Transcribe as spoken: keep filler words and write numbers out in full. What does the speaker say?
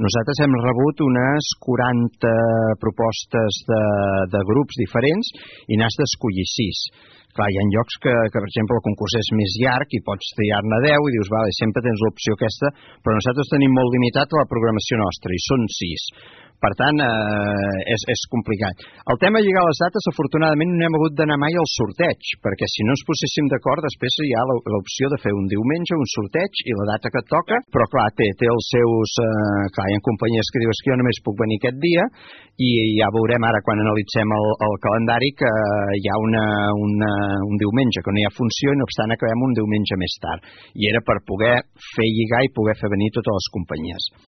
Nosaltres hem rebut unes quaranta propostes de, de grups diferents i n'has d'escollir sis. Clar, hi ha llocs que, que, per exemple, el concurs és més llarg i pots triar-ne deu i dius, vale, sempre tens l'opció aquesta, però nosaltres tenim molt limitat la programació nostra i són sis. Per tant, eh, és, és complicat. El tema de lligar les dates, afortunadament, no hem hagut d'anar mai al sorteig, perquè si no ens poséssim d'acord, després hi ha l'opció de fer un diumenge, un sorteig i la data que et toca, però clar, té, té els seus... Eh, clar, hi ha companyies que dius que jo només puc venir aquest dia i ja veurem ara quan analitzem el, el calendari que hi ha una, una, un diumenge que no hi ha funció i no obstant acabem un diumenge més tard. I era per poder fer lligar i poder fer venir totes les companyies.